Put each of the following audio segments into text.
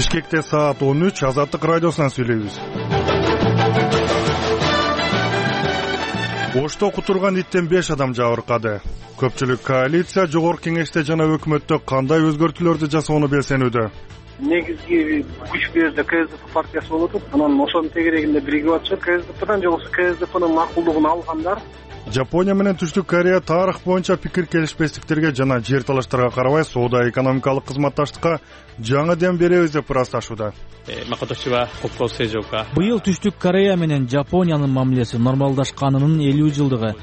Бишкекте саат 13, Азаттык радиосунан сүйлөйбүз. Ошто кутурган иттен 5 адам жабыркады. Көпчүлүк коалиция жогорку кеңеште жана өкмөттө кандай өзгөртүүлөрдү жасоону белсенүүдө. Негизги күч берди КСДП партиясы болуп атат. Анан ошонун тегерегинде биригип атышат. КСДПдан же болбосо КСДПнын макулдугун алгандар. Жапония менен Түштүк Корея тарых боюнча пикир келишпестиктерге жана жер талаштарга карабай соода экономикалык кызматташтыкка жаңы дем беребиз деп ырасташууда. Быйыл Түштүк Корея менен Жапониянын мамилеси нормалдашканынын 50 жылдыгы.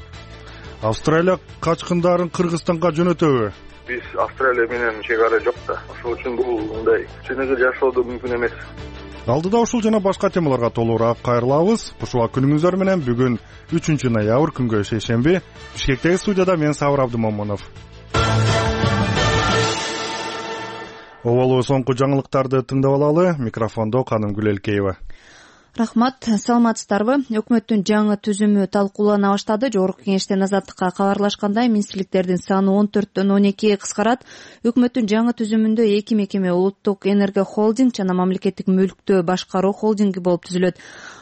Австралия качкындарын Кыргызстанга жөнөтөбү? Биз Австралия менен чек ара жок да. Ошол үчүн бул мындай чыныгы жашоодо мүмкүн эмес. Алдыда ушул жана башка темаларга толугураак кайрылабыз. Кушула күнүңүздөр менен бүгүн 3 ноябрь күнгө шейшемби. Бишкектеги студияда мен Сабыр Абдымомунов. Оболу соңку жаңылыктарды тыңдап алалы. Микрофондо Каным Гүлелкеева. Рахмат, саламатсыздарбы? Өкмөттүн жаңы түзүмү талкуулана баштады. Жогорку кеңештен Азаттыкка кабарлашкандай, министрликтердин саны 14төн 12 кыскарат. Өкмөттүн жаңы түзүмүндө 2 мекеме улуттук энерго холдинг жана мамлекеттик мүлктү башкаруу холдинги болуп түзүлөт.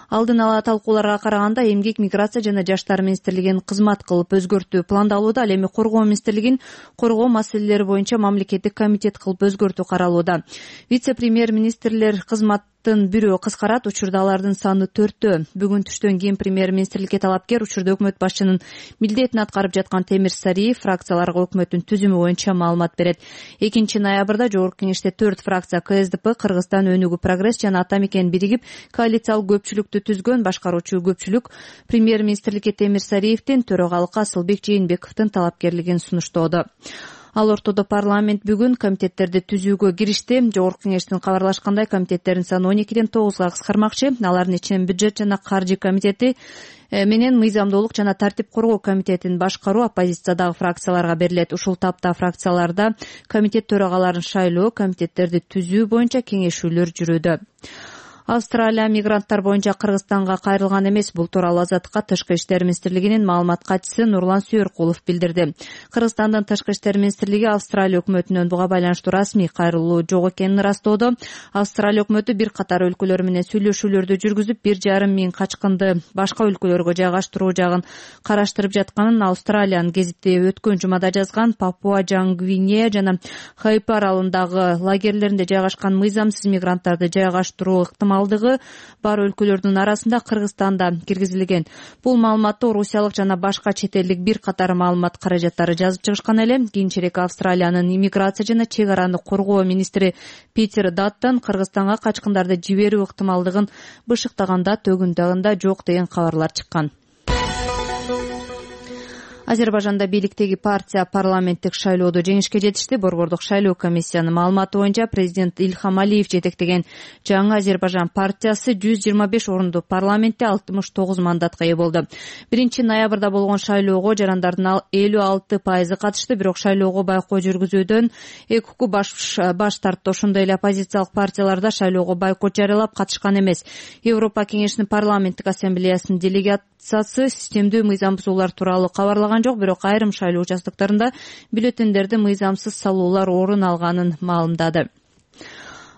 Алдын ала талкууларга караганда эмгек, миграция жана жаштар министрлигин кызмат кылып өзгөртүү пландалууда. Ал эми коргоо министрлигин коргоо маселелери боюнча мамлекеттик комитет кылып өзгөртүү каралууда. Вице-премьер министрлер кызматтын бирөө кыскарат. Учурда алардын саны 4тө. Бүгүн түштөн кийин премьер-министрликке талапкер учурда өкмөт башчынын милдетин аткарып жаткан Темир Сариев фракцияларга өкмөттүн түзүмү боюнча маалымат берет. 2 ноябрда жогорку кеңеште 4 фракция КСДП, Кыргызстан өнүгүү прогресс жана Ата мекен биригип коалициялык көпчүлүктү түзгөн. Башкаруучу көпчүлүк премьер-министрликке Темир Сариевдин, төрагалыкка Асылбек Жээнбековдун талапкерлигин сунуштоодо. Ал ортодо парламент бүгүн комитеттерди түзүүгө киришти. Жогорку кеңештин кабарлашкандай, комитеттердин саны 12ден 9га кыскармакчы. Алардын ичинен бюджет жана каржы комитети менен мыйзамдуулук жана тартип коргоо комитетин башкаруу оппозициядагы фракцияларга берилет. Ушул тапта фракцияларда комитет төрагаларын шайлоо, комитеттерди түзүү боюнча кеңешүүлөр жүрүүдө. Австралия мигранттар боюнча Кыргызстанга кайрылган эмес. Бул тууралуу Азаттыкка Тышкы иштер министрлигинин маалымат катчысы Нурлан Сүйөркулов билдирди. Кыргызстандын Тышкы иштер министрлиги Австралия өкмөтүнөн буга байланыштуу расмий кайрылуу жок экенин ырастоодо. Австралия өкмөтү бир катар өлкөлөр менен сүйлөшүүлөрдү жүргүзүп, 1,5 миң качкынды башка өлкөлөргө жайгаштыруу жагын караштырып жатканын Австралиянын гезити өткөн жумада жазган. Папуа Жаңгвинея жана Хайп аралындагы лагерлеринде жайгашкан мыйзамсыз мигранттарды жайгаштыруу ыктымалдыгы бар өлкөлөрдүн арасында Кыргызстанда киргизилген. Бул маалыматты орусиялык жана башка чет элдик бир катар маалымат каражаттары жазып чыгышкан эле. Кийинчерээк Австралиянын иммиграция жана чек араны коргоо министри Питер Даттон Кыргызстанга качкындарды жиберүү ыктымалдыгын бышыктаганда төгүн дагында жок деген кабарлар чыккан. Азербайжанда бийликтеги партия парламенттик шайлоодо жеңишке жетишти. Борбордук шайлоо комиссиянын маалыматы боюнча президент Ильхам Алиев жетектеген жаңы Азербайжан партиясы 125 орунду парламентте 69 мандатка ээ болду. 1 ноябрда болгон шайлоого жарандардын 56% катышты, бирок шайлоого байкоо жүргүзүүдөн ЭКУ баш тартты. Ошондой эле оппозициялык партиялар да шайлоого бойкот жарыялап катышкан эмес. Европа кеңешинин парламенттик ассамблеясынын делегациясы системдүү мыйзам бузуулар тууралуу кабарлаган жок, бирок айрым шайлоо участоктарында бюллетендерди мыйзамсыз салуулар орун алганын маалымдады.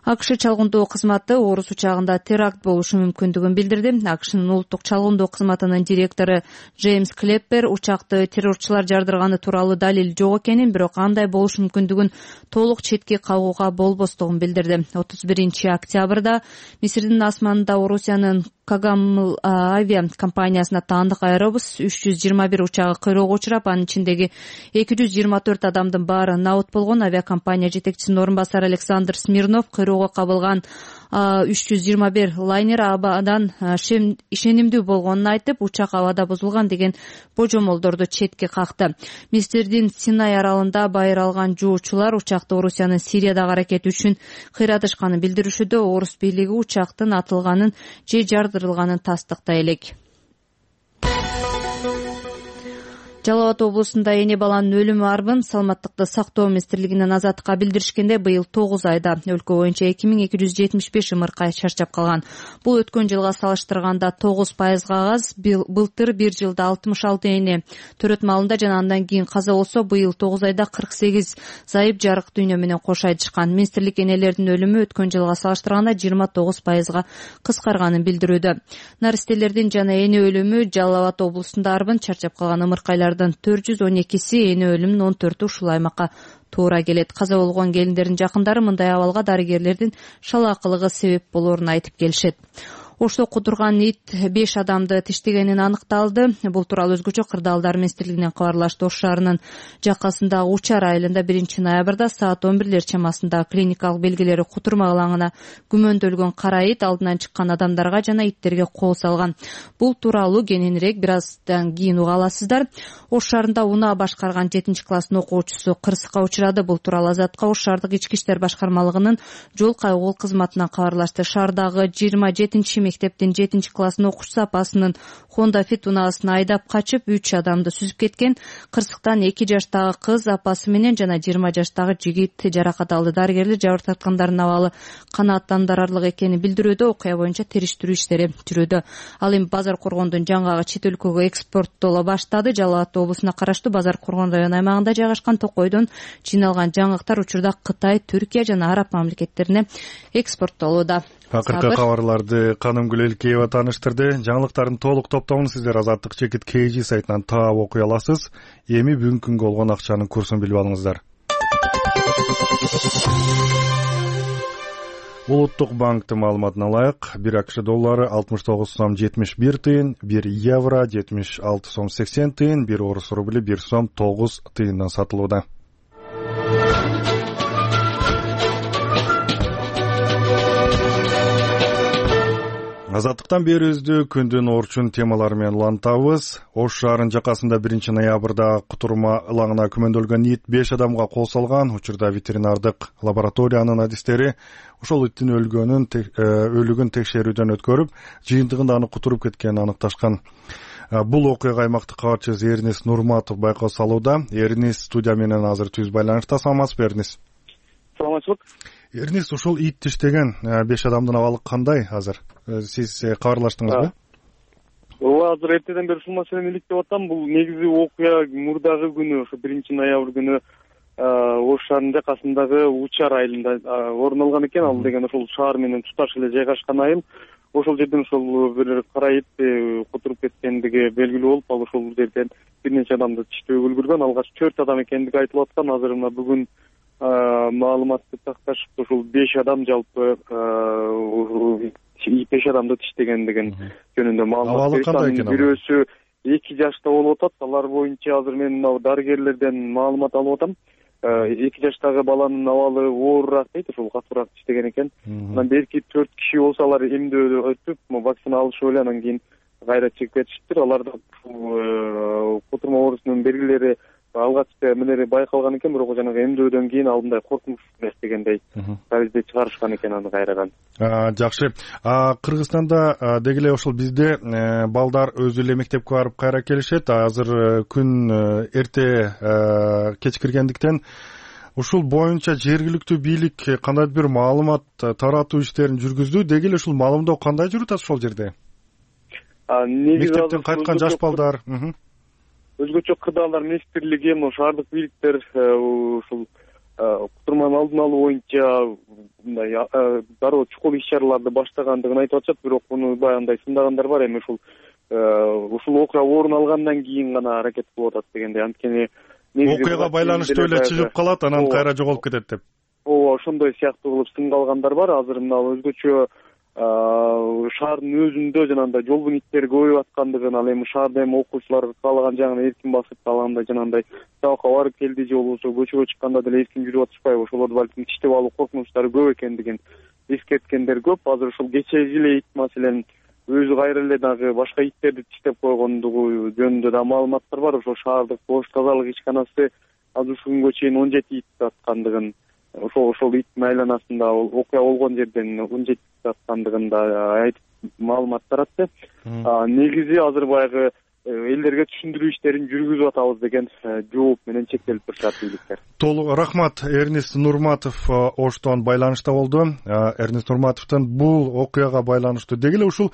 АКШ чалгындоо кызматы орус учагында теракт болушу мүмкүндүгүн билдирди. АКШнын улуттук чалгындоо кызматынын директору Джеймс Клеппер учакты террорчулар жардырганы тууралуу далил жок экенин, бирок андай болушу мүмкүндүгүн толук четке кагууга болбостугун билдирди. 31 октябрда Мисирдин асманында Орусиянын Кагамыл авиа компаниясына таандык аэробус 321 учагы кыйроого учурап, анын ичиндеги 224 адамдын баары набыт болгон. Авиакомпания жетекчисинин орун басары Александр Смирнов кыйроого кабылган 321 лайнер абадан ишенимдүү болгонун айтып, учак абада бузулган деген божомолдорду четке какты. Мисирдин Синай аралында байыр алган жоочулар учакты Орусиянын Сириядагы аракети үчүн кыйратышканын билдиришүүдө. Орус бийлиги учактын атылганын же жардырылганын тастыктай элек. Жалал Абад облусунда эне баланын өлүмү арбын саламаттыкты сактоо министрлигинин азаттыкка билдиришкенде быйыл 9 айда өлкө боюнча 2275 ымыркай чарчап калган. Бул өткөн жылга салыштырганда 9%га аз. Былтыр бир жылда 66 эне төрөт малында жана андан кийин каза болсо, быйыл 9 айда 48 зайып жарык дүйнө менен кош айтышкан. Министрлик энелердин өлүмү өткөн жылга салыштырганда 29%га кыскарганын билдирүүдө. Наристелердин жана эне өлүмү Жалал Абад облусунда арбын чарчап калган ымыркайлардын 412 эне өлүмүнүн 14 ушул аймакка туура келет. Каза болгон келиндердин жакындары мындай абалга дарыгерлердин шалаакылыгы себеп болоорун айтып келишет. Ошто кудурган ит 5 адамды тиштегенин аныкталды. Бул тууралуу өзгөчө кырдаалдар министрлигинен кабарлашты. Ош шаарынын жакасындагы Учар айылында 1 ноябрда саат 11 чамасында клиникалык белгилери кутурма ылаңына күмөндөлгөн кара ит алдынан чыккан адамдарга жана иттерге кол салган. Бул тууралуу кененирээк бир аздан кийин уга аласыздар. Ош шаарында унаа башкарган 7-класстын окуучусу кырсыкка учурады. Бул тууралуу Азатка Ош шаардык ички иштер башкармалыгынын жол кайгыл кызматынан кабарлашты. Шаардагы 27 мектептин 7-класстын окуучусу апасынын Honda Fit унаасын айдап качып 3 адамды сүзүп кеткен. Кырсыктан 2 жаштагы кыз апасы менен жана 20 жаштагы жигит жаракат алды. Дарыгерлер жабыр тарткандардын абалы канааттандырарлык экенин билдирүүдө. Окуя боюнча териштирүү иштери жүрүүдө. Ал эми Базар Коргондун жаңгагы чет өлкөгө экспорттоло баштады. Жалал Абад облусуна караштуу Базар Коргон район аймагында жайгашкан токойдон жыйналган жаңгактар учурда Кытай, Түркия жана Араб мамлекеттерине экспорттолууда. Акыркы кабарларды Канымгүл Элкеева тааныштырды. Жаңылыктардын толук топтомун сиздер Азаттык чекит KG сайтынан таап окуй аласыз. Эми бүгүнкү күнгө болгон акчанын курсун билип алыңыздар. Улуттук банктын маалыматына ылайык, 1 АКШ доллары 69 сом 71 тыйын, 1 евро 76 сом 80 тыйын, 1 орус рубли 1 сом 9 тыйындан сатылууда. Азаттыктан берүүбүздү күндүн орчун темалары менен улантабыз. Ош шаарынын жакасында 1 ноябрда кутурма ылаңына күмөндөлгөн ит 5 адамга кол салган. Учурда ветеринардык лабораториянын адистери ошол иттин өлүгүн текшерүүдөн өткөрүп, жыйынтыгында аны кутуруп кеткенин аныкташкан. Бул окуяга аймактык кабарчыбыз Эрнис Нурматов байкоо салууда. Эрнис студия менен азыр түз байланышта. Саламатсызбы, Эрнис? Саламатчылык. Эрнис, ушул ит тиштеген 5 адамдын абалы кандай азыр? Сиз кабарлаштыңызбы? Ооба, азыр эртеден бери ушул маселени иликтеп атам. Бул негизи окуя мурдагы күнү, ошо 1 ноябрь күнү Ош шаарынын жакасындагы Учар айылында орун алган экен. Ал деген ошол шаар менен туташ эле жайгашкан айыл. Ошол жерден ошол бир кара ит кутуруп кеткендиги белгилүү болуп, ал ошол жерден бир нече адамды тиштөөгө үлгүргөн. Алгач 4 адам экендиги айтылып аткан. Азыр мына бүгүн маалыматты такташып, ошол 5 адам жалпы 5 адамды тиштегендигин жөнүндө маалымат беришти. Бирөөсү 2 жашта болуп атат. Алар боюнча азыр мен мына дарыгерлерден маалымат алып атам. 2 жаштагы баланын абалы оорураак дейт, ошол катуураак тиштеген экен. Анан берки 4 киши болсо алар эмдөөдө өтүп, вакцина алышып эле анан кийин кайра чыгып кетишиптир. Аларда кутурма оорусунун белгилери алгачкы эмелери байкалган экен, бирок жанагы эмдөөдөн кийин ал мындай коркунуч эмес дегендей таризде чыгарышкан экен аны кайрадан. Жакшы. Кыргызстанда деги эле ошол бизде балдар өзү эле мектепке барып кайра келишет. Азыр күн эрте кечкиргендиктен ушул боюнча жергиликтүү бийлик кандайдыр бир маалымат таратуу иштерин жүргүздү. Деги эле ушул маалымдоо кандай жүрүп атат ошол жерде? Мектептен кайткан жаш балдар өзгөчө кырдаалдар министрлиги, шаардык бийликтер ушул кутурманын алдын алуу боюнча мындай дароо чукул иш-чараларды баштагандыгын айтып атышат, бирок муну баягындай сындагандар бар. Эми ушул окуя орун алгандан кийин гана аракет кылып атат дегендей. Анткени окуяга байланыштуу эле чыгып калат, анан кайра жоголуп кетет деп. Ооба, ошондой сыяктуу кылып сынгалгандар бар. Азыр мына өзгөчө шаардын өзүндө жанагындай жолбун иттери көбөйүп аткандыгын, ал эми шаарда эми окуучулар каалаган жагына эркин басып, каалагандай жанагындай сабакка барып келди же болбосо көчөгө чыкканда деле эркин жүрүп атышпайбы, ошолорду балким тиштеп алуу коркунучтары көп экендигин эскерткендер көп. Азыр ушул кечеги эле ит маселен өзү кайра эле дагы башка иттерди тиштеп койгондугу жөнүндө да маалыматтар бар. Ошол шаардык кош тазалык ишканасы азыр ушул күнгө чейин 17 ит аткандыгын, ошол иттин айланасында окуя болгон жерден 17 аткандыгын да айтып маалымат таратты. Негизи азыр баягы элдерге түшүндүрүү иштерин жүргүзүп атабыз деген жооп менен чектелип турушат бийликтер. Толук рахмат. Эрнест Нурматов Оштон байланышта болду. Эрнест Нурматовдон бул окуяга байланыштуу деги эле ушул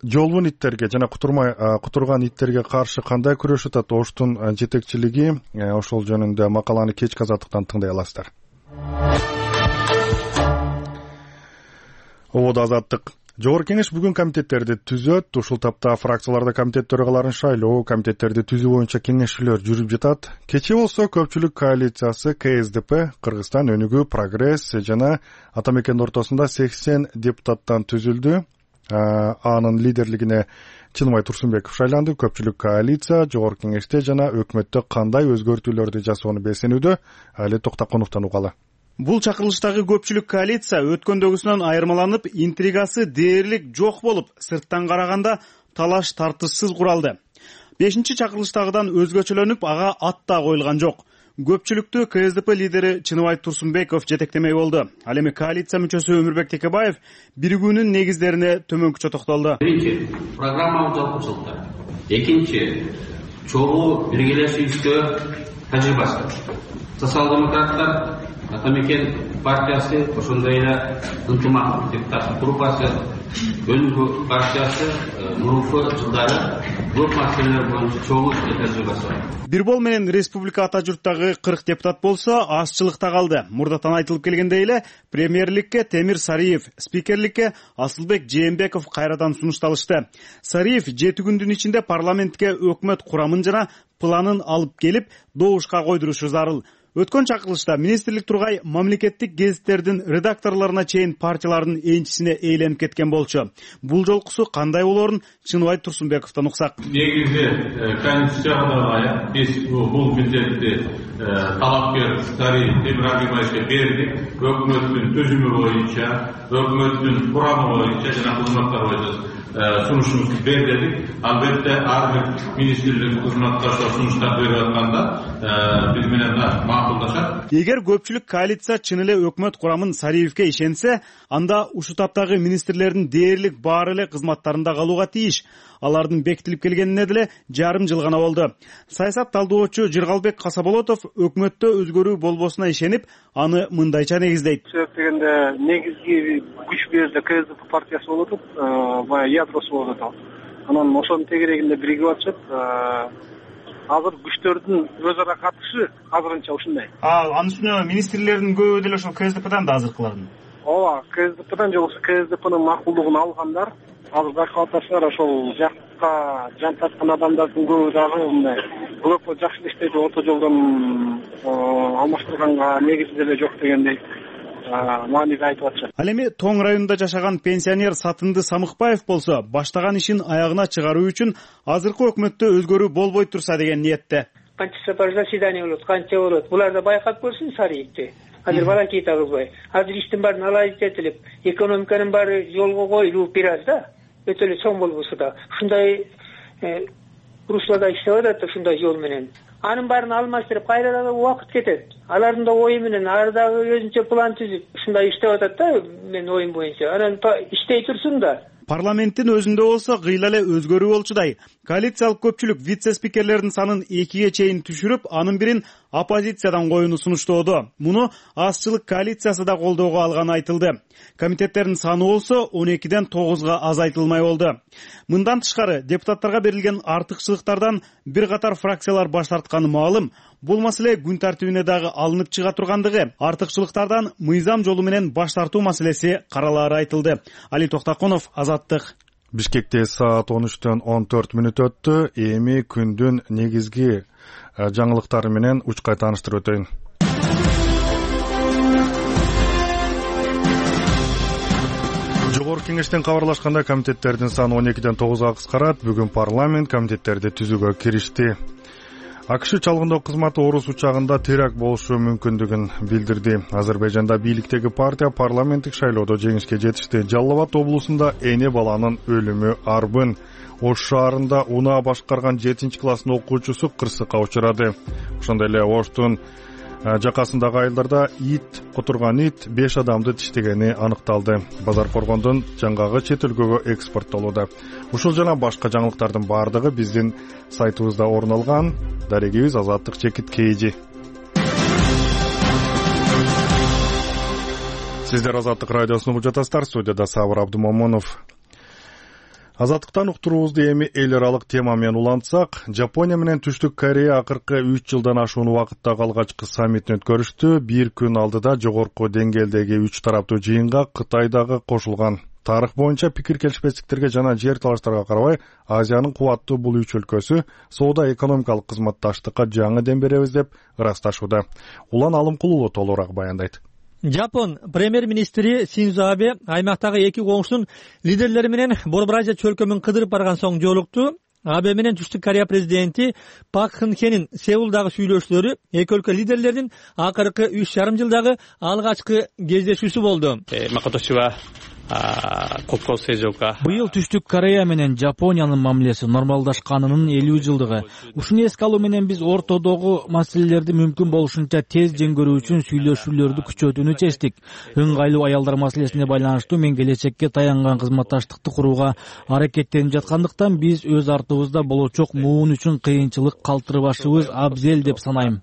жолбун иттерге жана кутурган иттерге каршы кандай күрөшүп атат Оштун жетекчилиги, ошол жөнүндө макаланы кечки Азаттыктан тыңдай аласыздар. Ободо Азаттык. Жогорку кеңеш бүгүн комитеттерди түзөт. Ушул тапта фракцияларда комитет төрагаларын шайлоо, комитеттерди түзүү боюнча кеңешүүлөр жүрүп жатат. Кечээ болсо көпчүлүк коалициясы КСДП, Кыргызстан өнүгүү, Прогресс жана Ата Мекендин ортосунда 80 депутаттан түзүлдү. Анын лидерлигине Чыныбай Турсунбеков шайланды. Көпчүлүк коалиция жогорку кеңеште жана өкмөттө кандай өзгөртүүлөрдү жасоону бесенүүдө. Али Токтаконовдон угалы. Бул чакырылыштагы көпчүлүк коалиция өткөндөгүсүнөн айырмаланып, интригасы дээрлик жок болуп, сырттан караганда талаш тартышсыз куралды. 5-чакырылыштагыдан өзгөчөлөнүп, ага ат да коюлган жок. Көпчүлүктү КСДП лидери Чыныбай Турсунбеков жетектемей болду. Ал эми коалиция мүчөсү Өмүрбек Текебаев биригүүнүн негиздерине төмөнкүчө токтолду. Биринчи, программалык жалпычылыктар. Экинчи, чогуу биргелешүүбүздө тажрыйбасы. Социал-демократтар, Ата Мекен партиясы, ошондой эле ынтымак депутаттык группасы, Өнүгүү партиясы мурунку жылдары көп маселелер боюнча чогуу тажрыйбасы бар. Бирбол менен республика ата журттагы 40 депутат болсо, азчылыкта калды. Мурдатан айтылып келгендей эле, премьерликке Темир Сариев, спикерликке Асылбек Жээнбеков кайрадан сунушталышты. Сариев 7 күндүн ичинде парламентке өкмөт курамын жана планын алып келип, добушка койдурушу зарыл. Өткөн чакырылышта министрлик тургай мамлекеттик гезиттердин редакторлоруна чейин партиялардын энчисине ээленип кеткен болчу. Бул жолкусу кандай болоорун Чыныбай Турсунбековдон уксак. Негизи конституцияга биз бул милдетти талапкер Сариев Темир Агибаевге бердик. Өкмөттүн түзүмү боюнча, өкмөттүн курамы боюнча жана кызматтар боюнча сунушубузду бердик. Албетте ар бир министрлик кызматташтар сунуштар берип атканда биз менен макулдашат. Эгер көпчүлүк коалиция чын эле өкмөт курамын Сариевке ишенсе, анда ушул таптагы министрлердин дээрлик баары эле кызматтарында калууга тийиш. Алардын бекитилип келгенине деле жарым жыл гана болду. Саясат талдоочу Жыргалбек Касаболотов өкмөттө өзгөрүү болбосуна ишенип, аны мындайча негиздейт. Сөзсүз дегенде негизги күч бул жерде КСДП партиясы болуп атат, баягы ядросы болуп атат. Анан ошонун тегерегинде биригип атышат. Азыр күчтөрдүн өз ара катышы азырынча ушундай. Анын үстүнө министрлердин көбү деле ошол КСДПдан да азыркылардын. Ооба, КСДПдан же болбосо КСДПнын макулдугун алгандар. Азыр байкап атасыздар, ошол жакка жан тарткан адамдардын көбү дагы мындай өкмөт жакшы иштейт, орто жолдон алмаштырганга негизи деле жок дегендей мааниде айтып атышат. Ал эми Тоң районунда жашаган пенсионер Сатынды Самыкбаев болсо, баштаган ишин аягына чыгаруу үчүн азыркы өкмөттө өзгөрүү болбой турса деген ниетте. Канча сапар заседание болот, канча болот. Буларды байкап көрсүн Сариевди. Азыр балакей да кылбай. Азыр иштин баарын алайытылып, экономиканын баары жолго коюлуп бир аз да. Өтө эле чоң болбосо да. Ушундай руслада иштеп атат, ушундай жол менен. Анын баарын алмаштырып, кайрадан убакыт кетет. Алардын да ою менен ар дагы өзүнчө план түзүп, ушундай иштеп атат да, менин оюм боюнча. Анан иштей турсун да. Парламенттин өзүндө болсо кыйла эле өзгөрүү болчудай. Коалициялык көпчүлүк вице-спикерлердин санын 2ге чейин түшүрүп, анын бирин оппозициядан коюуну сунуштоодо. Муну азчылык коалициясы да колдоого алганы айтылды. Комитеттердин саны болсо 12ден 9га азайтылмай болду. Мындан тышкары депутаттарга берилген артыкчылыктардан бир катар фракциялар баш тартканы маалым. Бул маселе күн тартибине дагы алынып чыга тургандыгы, артыкчылыктардан мыйзам жолу менен баш тартуу маселеси каралаары айтылды. Али Токтаконов, Азаттык. Бишкекте саат 13дөн 14 мүнөт өттү. Эми күндүн негизги жаңылыктары менен учкай тааныштырып өтөйүн. Жогорку кеңештен кабарлашканда комитеттердин саны 12ден 9га кыскарат. Бүгүн парламент комитеттерди түзүүгө киришти. АКШ чалгындоо кызматы орус учагында теракт болушу мүмкүндүгүн билдирди. Азербайжанда бийликтеги партия парламенттик шайлоодо жеңишке жетишти. Жалал Абад облусунда эне баланын өлүмү арбын. Ош шаарында унаа башкарган 7-класстын окуучусу кырсыкка учурады. Ошондой эле Оштун жакасындагы айылдарда кутурган ит 5 адамды тиштегени аныкталды. Базар Коргондон жаңгагы чет өлкөгө экспорттолууда. Ушул жана башка жаңылыктардын баардыгы биздин сайтыбызда орун алган. Дарегибиз Азаттык Чекит Кейжи. Сиздер Азаттык радиосун угуп жатасыздар. Студияда Сабыр Абдумомунов. Азаттыктан уктуруубузду эми эл аралык тема менен улантсак, Жапония менен Түштүк Корея акыркы 3 жылдан ашуун убакыттагы алгачкы саммитин өткөрүштү. Бир күн алдыда жогорку деңгээлдеги 3 тараптуу жыйынга Кытай дагы кошулган. Тарых боюнча пикир келишпестиктерге жана жер талаштарга карабай, Азиянын кубаттуу бул 3 өлкөсү соода экономикалык кызматташтыкка жаңы дем беребиз деп ырасташууда. Улан Алымкулуу толугураак баяндайт. Жапон премьер-министри Синдзо Абе аймактагы эки коңшунун лидерлери менен Борбор Азия чөлкөмүн кыдырып барган соң жолукту. Абе менен Түштүк Корея президенти Пак Кын Хенин Сеулдагы сүйлөшүүлөрү эки өлкө лидерлеринин акыркы 3,5 жылдагы алгачкы кездешүүсү болду. Быйыл Түштүк Корея менен Жапониянын мамилеси нормалдашканынын 50 жылдыгы. Ушуну эске алуу менен биз ортодогу маселелерди мүмкүн болушунча тез жеңгөрүү үчүн сүйлөшүүлөрдү күчөтүүнү чечтик. Ыңгайлуу аялдар маселесине байланыштуу мен келечекке таянган кызматташтыкты курууга аракеттенип жаткандыктан биз өз артыбызда болочок муун үчүн кыйынчылык калтырбашыбыз абзел деп санайм.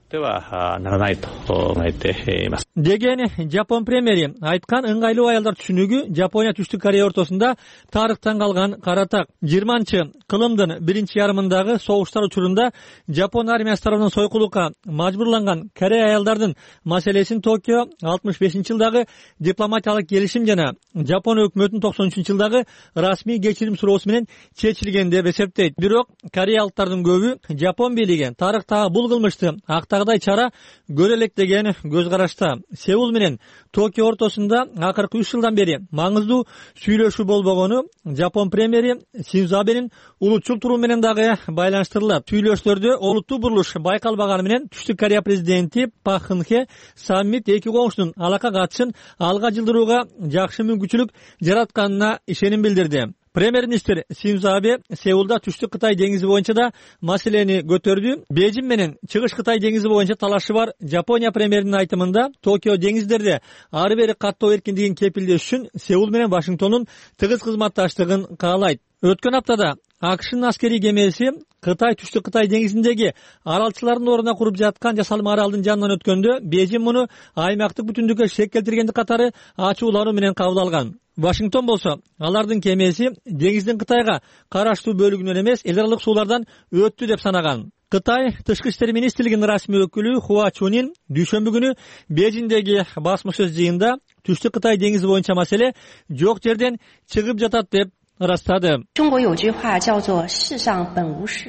Деген Жапон премьери айткан ыңгайлуу аялдар түшүнүгү Жапония Түштүк Корея ортосунда тарыхтан калган каратак. 20-кылымдын биринчи ярымындагы согуштар учурунда Жапон армиясы тарабынан сойкулукка мажбурланган Корея аялдардын маселесин Токио 65-жылдагы дипломатиялык келишим жана Жапон өкмөтүнүн 93-жылдагы расмий кечирим суроосу менен чечилген деп эсептейт. Бирок кореялыктардын көбү Жапон бийлиги тарыхтагы бул кылмышты актагыдай чара көрө элек деген көз карашта. Сеул менен Токио ортосунда акыркы 3 жылдан бери маңыздуу сүйлөшүү болбогону Жапон премьери Синдзо Абенин улутчул туруу менен дагы байланыштырылат. Сүйлөшүүлөрдө олуттуу бурулуш байкалбаганы менен Түштүк Корея президенти Пак Кын Хе саммит эки коңшунун алака катышын алга жылдырууга жакшы мүмкүнчүлүк жаратканына ишеним билдирди. Премьер-министр Синдзо Абе Сеулда Түштүк Кытай деңизи боюнча да маселени көтөрдү. Бейжин менен Чыгыш Кытай деңизи боюнча талашы бар. Жапония премьеринин айтымында Токио деңиздерде ары бери каттоо эркиндигин кепилдеш үчүн Сеул менен Вашингтондун тыгыз кызматташтыгын каалайт. Өткөн аптада АКШнын аскерий кемеси Кытай Түштүк Кытай деңизиндеги аралчылардын ордуна куруп жаткан жасалма аралдын жанынан өткөндө Бейжин муну аймактык бүтүндүккө шек келтиргенди катары ачуулануу менен кабыл алган. Вашингтон болсо алардын кемеси деңиздин Кытайга караштуу бөлүгүнөн эмес, эл аралык суулардан өттү деп санаган. Кытай Тышкы иштер министрлигинин расмий өкүлү Хуа Чунин дүйшөмбү күнү Бейжиндеги басмашөз жыйында Түштүк Кытай деңизи боюнча маселе жок жерден чыгып жатат деп ырастады.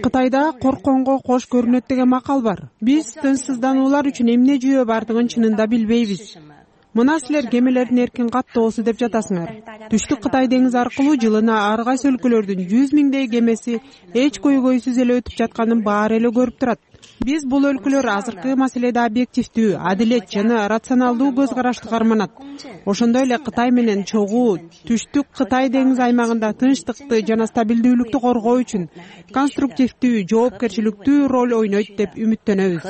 Кытайда коркконго кош көрүнөт деген макал бар. Биз тынчсыздануулар үчүн эмне жүйө бардыгын чынында билбейбиз. Мына силер кемелердин эркин каттоосу деп жатасыңар. Түштүк Кытай деңизи аркылуу жылына ар кайсы өлкөлөрдүн 100 миңдей кемеси эч көйгөйсүз эле өтүп жатканын баары эле көрүп турат. Биз бул өлкөлөр азыркы маселеде объективдүү, адилет жана рационалдуу көз карашты карманат. Ошондой эле Кытай менен чогуу Түштүк Кытай деңизи аймагында тынчтыкты жана стабилдүүлүктү коргоо үчүн конструктивдүү, жоопкерчиликтүү роль ойнойт деп үмүттөнөбүз.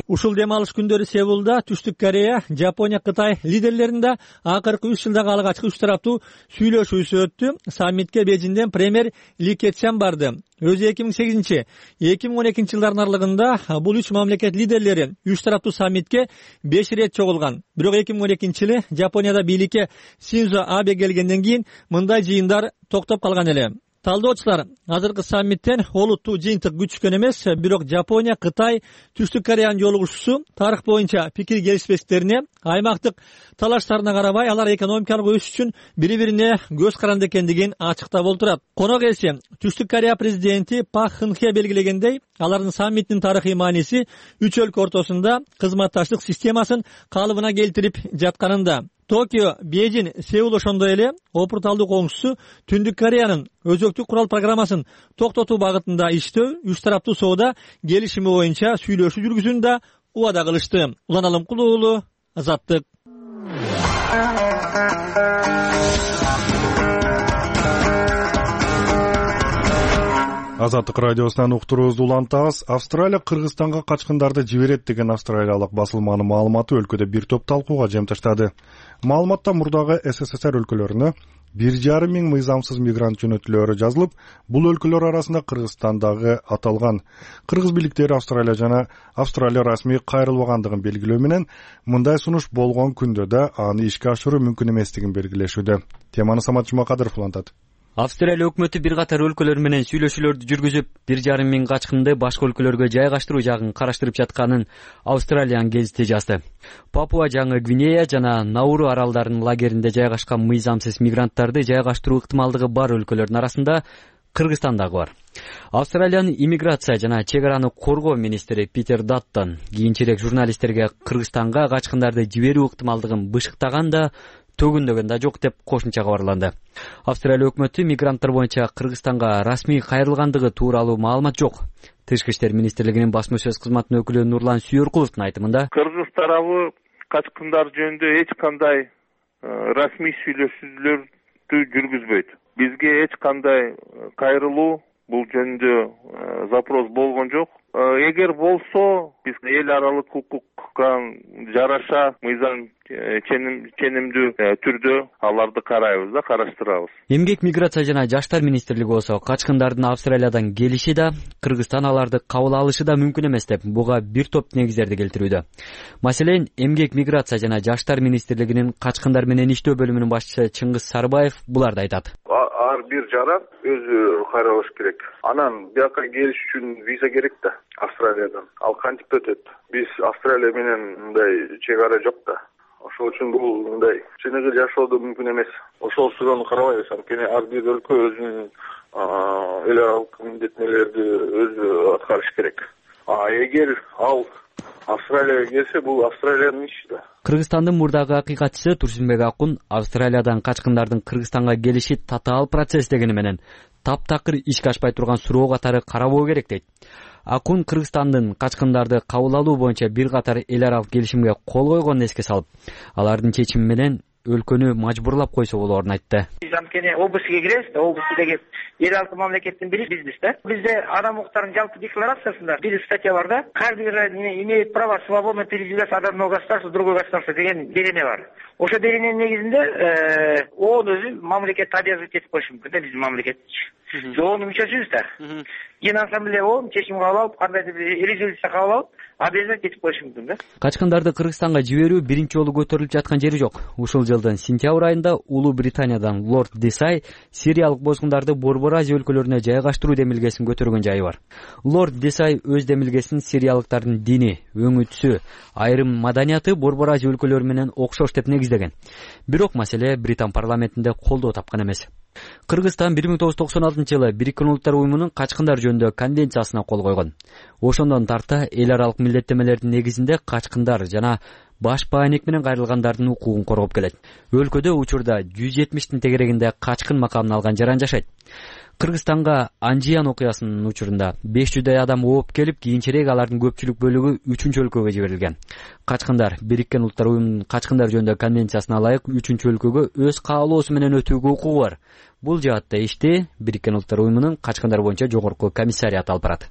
Ушул дем алыш күндөрү Сеулда Түштүк Корея, Жапония, Кытай лидерлеринде акыркы 3 жылдагы алгачкы 3 тараптуу сүйлөшүүсү өттү. Саммитке Бейжиңден премьер Ли Кечян барды. Өзү 2008-2012 жылдардын аралыгында бул 3 мамлекет лидерлери 3 тараптуу саммитке 5 ирет чогулган. Бирок 2012-жылы Жапонияда бийликке Синдзо Абе келгенден кийин мындай жыйындар токтоп калган эле. Талдоочулар азыркы саммиттен олуттуу жыйынтык күчкөн эмес, бирок Жапония, Кытай, Түштүк Кореянын жолугушуусу тарых боюнча пикир келишпестиктерине, аймактык талаштарына карабай алар экономикалык өсүш үчүн бири-бирине көз каранды экендигин ачыктап олтурат. Конок элси Түштүк Корея президенти Пак Кын Хе белгилегендей, алардын саммиттин тарыхый мааниси 3 өлкө ортосунда кызматташтык системасын калыбына келтирип жатканында. Токио, Бейжин, Сеул ошондой эле опурталдуу коңшусу Түндүк Кореянын өзөктүк курал программасын токтотуу багытында иштөө, 3 тараптуу соода келишими боюнча сүйлөшүү жүргүзүүнү да убада кылышты. Улан Алымкулуу уулу, Азаттык. Азаттык радиосунан уктуруубузду улантабыз. Австралия Кыргызстанга качкындарды жиберет деген австралиялык басылманын маалыматы өлкөдө бир топ талкууга жем таштады. Маалыматта мурдагы СССР өлкөлөрүнө 1,5 миң мыйзамсыз мигрант жөнөтүлөөрү жазылып, бул өлкөлөр арасында Кыргызстандагы аталган. Кыргыз бийликтери Австралия расмий кайрылбагандыгын белгилөө менен мындай сунуш болгон күндө да аны ишке ашыруу мүмкүн эместигин белгилешүүдө. Теманы Самат Жумакадыров улантат. Австралия өкмөтү бир катар өлкөлөр менен сүйлөшүүлөрдү жүргүзүп, 1,5 миң качкынды башка өлкөлөргө жайгаштыруу жагын караштырып жатканын Австралиянын гезити жазды. Папуа Жаңы Гвинея жана Науру аралдарынын лагеринде жайгашкан мыйзамсыз мигранттарды жайгаштыруу ыктымалдыгы бар өлкөлөрдүн арасында Кыргызстан дагы бар. Австралиянын иммиграция жана чек араны коргоо министри Питер Даттон кийинчерээк журналисттерге Кыргызстанга качкындарды жиберүү ыктымалдыгын бышыктаган да төгүндөгөн да жок деп кошумча кабарланды. Австралия өкмөтү мигранттар боюнча Кыргызстанга расмий кайрылгандыгы тууралуу маалымат жок. Тышкы иштер министрлигинин басма сөз кызматынын өкүлү Нурлан Сүйөркуловдун айтымында, Кыргыз тарабы качкындар жөнүндө эч кандай расмий сүйлөшүүлөрдү жүргүзбөйт. Бизге эч кандай кайрылуу бул жөнүндө запрос болгон жок. Эгер болсо, биз эл аралык укукка жараша мыйзам ченемдүү түрдө аларды карайбыз да, караштырабыз. Эмгек, миграция жана жаштар министрлиги болсо качкындардын Австралиядан келиши да, Кыргызстан аларды кабыл алышы да мүмкүн эмес деп буга бир топ негиздерди келтирүүдө. Маселен, Эмгек, миграция жана жаштар министрлигинин качкындар менен иштөө бөлүмүнүн башчысы Чыңгыз Сарбаев буларды айтат. Ар бир жаран өзү кайрылыш керек. Анан бияка келиш үчүн виза керек да Австралиядан. Ал кантип өтөт? Биз Австралия менен мындай чек ара жок да. Ошол үчүн бул мындай чыныгы жашоодо мүмкүн эмес. Ошол суроону карабайбыз. Анткени ар бир өлкө өзүнүн эл аралык милдеттенүүлөрдү өзү аткарыш керек. Эгер ал Австралияга келсе, бул Австралиянын иши да. Кыргызстандын мурдагы акыйкатчысы Турсунбек Акун Австралиядан качкындардын Кыргызстанга келиши татаал процесс дегени менен таптакыр ишке ашпай турган суроо катары карабоо керек дейт. Акун Кыргызстандын качкындарды кабыл алуу боюнча бир катар эл аралык келишимге кол койгонун эске салып, алардын чечими менен өлкөнү мажбурлап койсо болоорун айтты. Анткени областьга киребиз да, область деген эл аралык мамлекеттин бири бизбиз да. Бизде адам укуктарынын жалпы декларациясында бир статья бар да. Каждый имеет право свободно передвигаться от одного государства в другое государство деген берене бар. Ошо берененин негизинде ООН өзү мамлекетти обязывать этип коюшу мүмкүн да, биздин мамлекетчи. ООНдун мүчөсүбүз да. Генассамблея ООН чечим кабыл алып, кандайдыр бир резолюция кабыл алып, обязывать этип коюшу мүмкүн да. Качкындарды Кыргызстанга жиберүү биринчи жолу көтөрүлүп жаткан жери жок. Ушул жылдын сентябрь айында Улуу Британиядан Лорд Десай сириялык бозгундарды Борбор Азия өлкөлөрүнө жайгаштыруу демилгесин көтөргөн жайы бар. Лорд Десай өз демилгесин сириялыктардын дини, өңүтүсү, айрым маданияты Борбор Азия өлкөлөрү менен окшош деп негиздеген. Бирок маселе Британ парламентинде колдоо тапкан эмес. Кыргызстан 1996-жылы Бириккен Улуттар уюмунун качкындар жөнүндө конвенциясына кол койгон. Ошондон тарта эл аралык милдеттемелердин негизинде качкындар жана баш бааник менен кайрылгандардын укугун коргоп келет. Өлкөдө учурда 170тин тегерегинде качкын макамын алган жаран жашайт. Кыргызстанга Анжиян окуясынын учурунда 500дай адам ооп келип, кийинчерээк алардын көпчүлүк бөлүгү 3-өлкөгө жиберилген. Качкындар Бириккен Улуттар уюмунун качкындар жөнүндө конвенциясына ылайык 3-өлкөгө өз каалоосу менен өтүүгө укугу бар. Бул жаатта ишти Бириккен Улуттар уюмунун качкындар боюнча жогорку комиссариаты алып барат.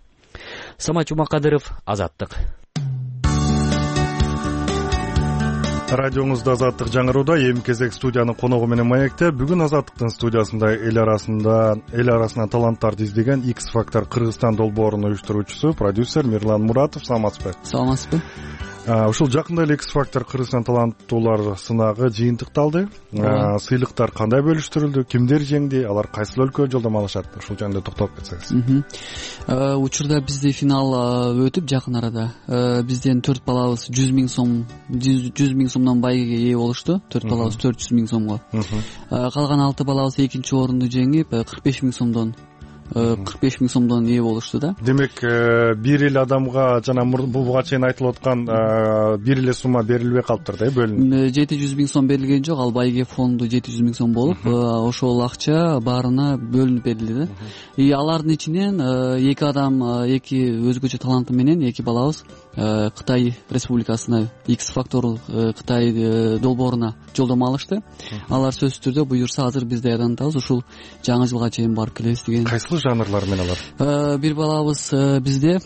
Самат Жумакадыров, Азаттык. Радионузда Азаттык жаңырууда, эми кезек студиянын коногу менен маекте. Бүгүн Азаттыктын студиясында эл арасынан таланттарды издеген X Factor Кыргызстан долбоорунун уюштуруучусу, продюсер Мирлан Муратов. Саламатсызбы? Саламатсызбы. Ушул жакында эле X Factor Кыргызстан таланттуулар сынагы жыйынтыкталды. Сыйлыктар кандай бөлүштүрүлдү, кимдер жеңди, алар кайсы өлкөгө жолдомо алышат? Ушул жөнүндө токтолуп кетсеңиз. Учурда бизде финал өтүп, жакын арада бизден 4 балабыз 100 миң сомдон байгеге ээ болушту. 4 балабыз 400 миң сомго. Калган 6 балабыз экинчи орунду жеңип 45 миң сомдон ээ болушту да. Демек, бир эле адамга жана буга чейин айтылып аткан бир эле сумма берилбей калыптыр да, бөлүнүп. 700 миң сом берилген жок, ал байге фонду 700 миң сом болуп, ошол акча баарына бөлүнүп берилди да. Алардын ичинен эки адам, эки өзгөчө таланты менен эки балабыз Кытай Республикасына X Factor Кытай долбооруна жолдомо алышты. Алар сөзсүз түрдө буюрса азыр биз даярданабыз, ушул жаңы жылга чейин барып келебиз деген. Кайсыл жанрлар менен алар? Бир балабыз бизде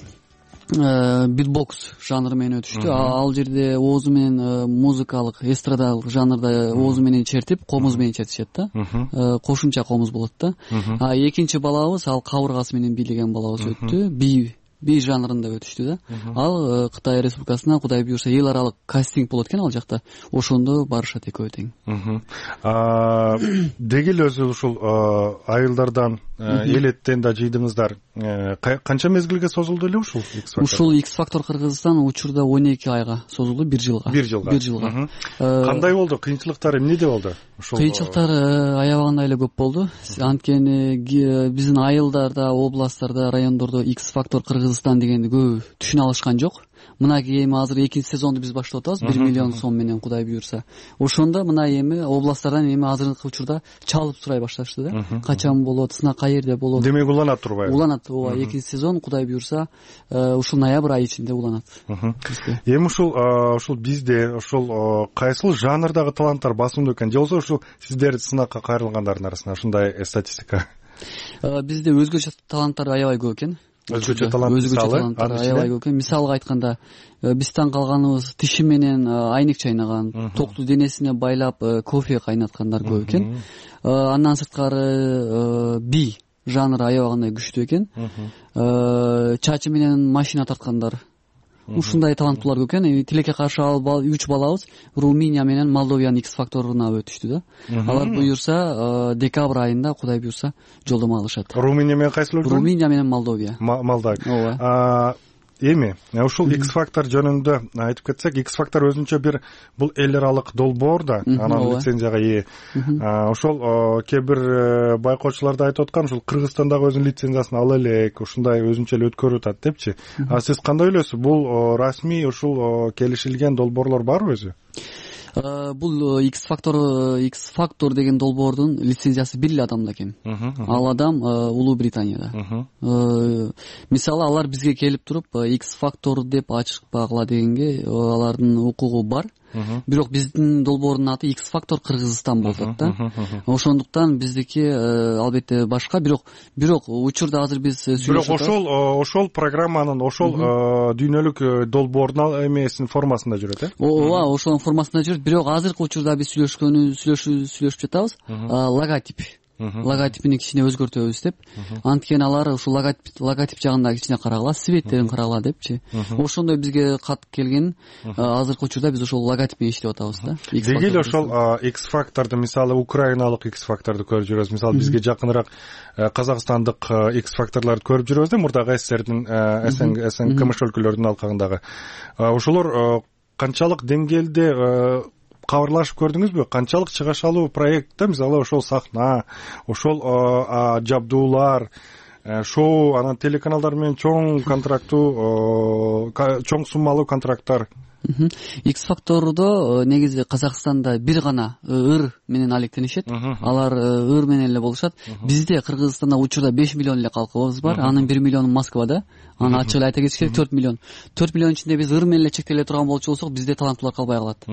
битбокс жанры менен өтүштү. Ал жерде оозу менен музыкалык эстрадалык жанрда оозу менен чертип, комуз менен чертишет да. Кошумча комуз болот да. Экинчи балабыз ал кабыргасы менен бийлеген балабыз өттү. Би жанрында өтүштү да. Ал Кытай Республикасына Кудай буюрса эл аралык кастинг болот экен ал жакта. Ошондо барышат экөө тең. Деги эле өзү ушул айылдардан элеттен да жыйдыңыздар. Канча мезгилге созулду эле ушул X Factor? Ушул X Factor Кыргызстан учурда 12 айга созулду, 1 жылга. 1 жылга. Кандай болду? Кыйынчылыктары эмнеде болду? Кыйынчылыктары аябагандай эле көп болду. Анткени биздин айылдарда, областтарда, райондордо X Factor Кыргызстан дегенди көп түшүнө алышкан жок. Мынакей эми азыр экинчи сезонду биз баштап атабыз, 1 миллион сом менен Кудай буюрса. Ошондо мына эми областтардан эми азыркы учурда чалып сурай башташты да. Качан болот, сынак каерде болот. Демек уланат турбайбы? Уланат, ооба. Экинчи сезон Кудай буюрса ушул ноябрь айы ичинде уланат. Эми ушул бизде ушул кайсыл жанрдагы таланттар басымдуу экен? Же болбосо ушул сиздер сынакка кайрылгандардын арасында ушундай статистика? Бизде өзгөчө таланттар аябай көп экен. Өзгөчө таланттар аябай көп экен. Мисалга айтканда, биз таң калганыбыз тиши менен айнек чайнаган, токту денесине байлап кофе кайнаткандар көп экен. Андан сырткары би жанры аябагандай күчтүү экен. Чачы менен машина тарткандар. Ушундай таланттуулар көп экен. Тилекке каршы ал 3 балабыз Румыния менен Молдовиянын X Factor'уна өтүштү да. Алар буюрса декабрь айында Кудай буюрса жолдомо алышат. Румыния менен кайсыл өлкө? Румыния менен Молдовия. Молдовия. Эми ушул X Factor жөнүндө айтып кетсек, X Factor өзүнчө бир бул эл аралык долбоор да, анан лицензияга ээ. Ошол кээ бир байкоочулар да айтып аткан, ушул Кыргызстандагы өзүнүн лицензиясын ала элек, ушундай өзүнчө эле өткөрүп атат депчи. Сиз кандай ойлойсуз? Бул расмий ушул келишилген долбоорлор барбы өзү? Бул X Factor деген долбоордун лицензиясы бир эле адамда экен. Ал адам Улуу Британияда. Мисалы алар бизге келип туруп X Factor деп ачпагыла дегенге алардын укугу бар. Бирок биздин долбоордун аты X Factor Кыргызстан болуп атат да. Ошондуктан биздики албетте башка, бирок учурда азыр биз сүйлөшүп атабыз. Бирок ошол программанын ошол дүйнөлүк долбоордун эмесинин формасында жүрөт, э? Ооба, ошонун формасында жүрөт. Бирок азыркы учурда биз сүйлөшүп жатабыз. Логотипини кичине өзгөртөбүз деп. Анткени алар ушул логотип жагында кичине карагыла, светтерин карагыла депчи. Ошондой бизге кат келген. Азыркы учурда биз ошол логотип менен иштеп атабыз да. Деги эле ошол X Factor'ду, мисалы украиналык X Factor'ду көрүп жүрөбүз. Мисалы бизге жакыныраак казакстандык X Factor'ларды көрүп жүрөбүз да, мурдагы СССРдин КМШ өлкөлөрүнүн алкагындагы. Ошолор канчалык деңгээлде кабарлашып көрдүңүзбү? Канчалык чыгашалуу проектте, мисалы ошол сахна, ошол жабдуулар, шоу, анан телеканалдар менен чоң контрактуу, чоң суммалуу контракттар. X Factor'до негизи Казакстанда бир гана ыр менен алектенишет. Алар ыр менен эле болушат. Бизде Кыргызстанда учурда 5 миллион эле калкыбыз бар. Анын 1 миллиону Москвада. Аны ачык эле айта кетиш керек, 4 миллион. 4 миллион ичинде биз ыр менен эле чектеле турган болчу болсок, бизде таланттуулар калбай калат.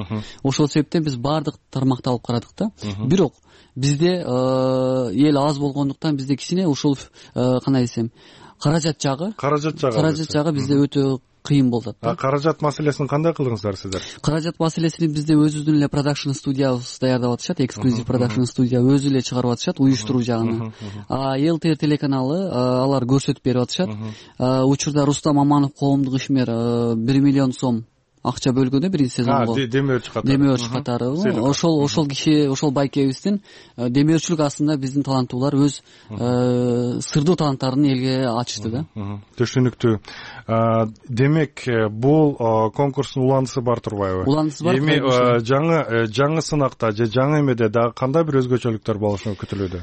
Ошол себептен биз баардык тармакты алып карадык да. Бирок бизде эл аз болгондуктан бизде кичине ушул кандай десем, каражат жагы бизде өтө кыйын болуп атат. Каражат маселесин кандай кылдыңыздар сиздер? Каражат маселесин бизде өзүбүздүн эле продакшн студиябыз даярдап атышат, эксклюзив продакшн студия өзү эле чыгарып атышат, уюштуруу жагын. ЛТР телеканалы алар көрсөтүп берип атышат. Учурда Рустам Маманов коомдук ишмер 1 миллион сом акча бөлгөндө биринчи сезонго. Демөөрчү катары. Ошол киши, ошол байкебиздин демөөрчүлүк астында биздин таланттуулар өз сырдуу таланттарын элге ачышты да. Түшүнүктүү. Демек, бул конкурстун уландысы бар турбайбы? Уландысы бар. Эми жаңы сынакта же жаңы эмеде дагы кандай бир өзгөчөлүктөр болушу күтүлүүдө?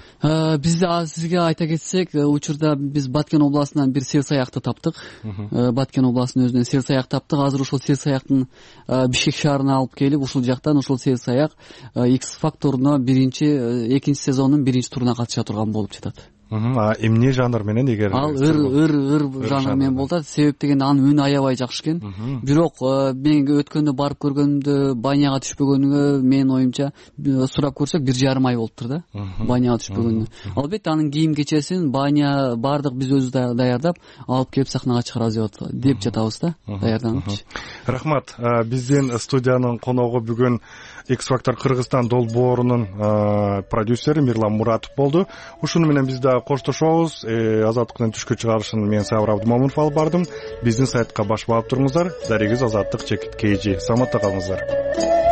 Бизде сизге айта кетсек, учурда биз Баткен областынан бир сер саякты таптык. Баткен областынын өзүнөн сер саяк таптык. Азыр ошол сер саяк Бишкек шаарына алып келип, ушул жактан ушул сер саяк X Factor'уна экинчи сезондун биринчи туруна катыша турган болуп жатат. эмне жанр менен эгер ал ыр жанр менен болуп атат. Себеп дегенде анын үнү аябай жакшы экен. Бирок мен өткөндө барып көргөнүмдө баняга түшпөгөнүгө менин оюмча сурап көрсөк 1,5 ай болуптур да баняга түшпөгөнүнө. Албетте анын кийим кечесин баня баардык биз өзүбүз даярдап алып келип сахнага чыгарабыз деп жатабыз да, даярданып. Рахмат. Биздин студиянын коногу бүгүн X-Factor Кыргызстан долбоорунун продюсери Мирлан Муратов болду. Ушуну менен биз да коштошобуз. Азаттыктын түшкү чыгарышын мен Сабыр Абдымомунов алып бардым. Биздин сайтка баш баап туруңуздар. Дарегиз Азаттык /KG. Саламатта калыңыздар.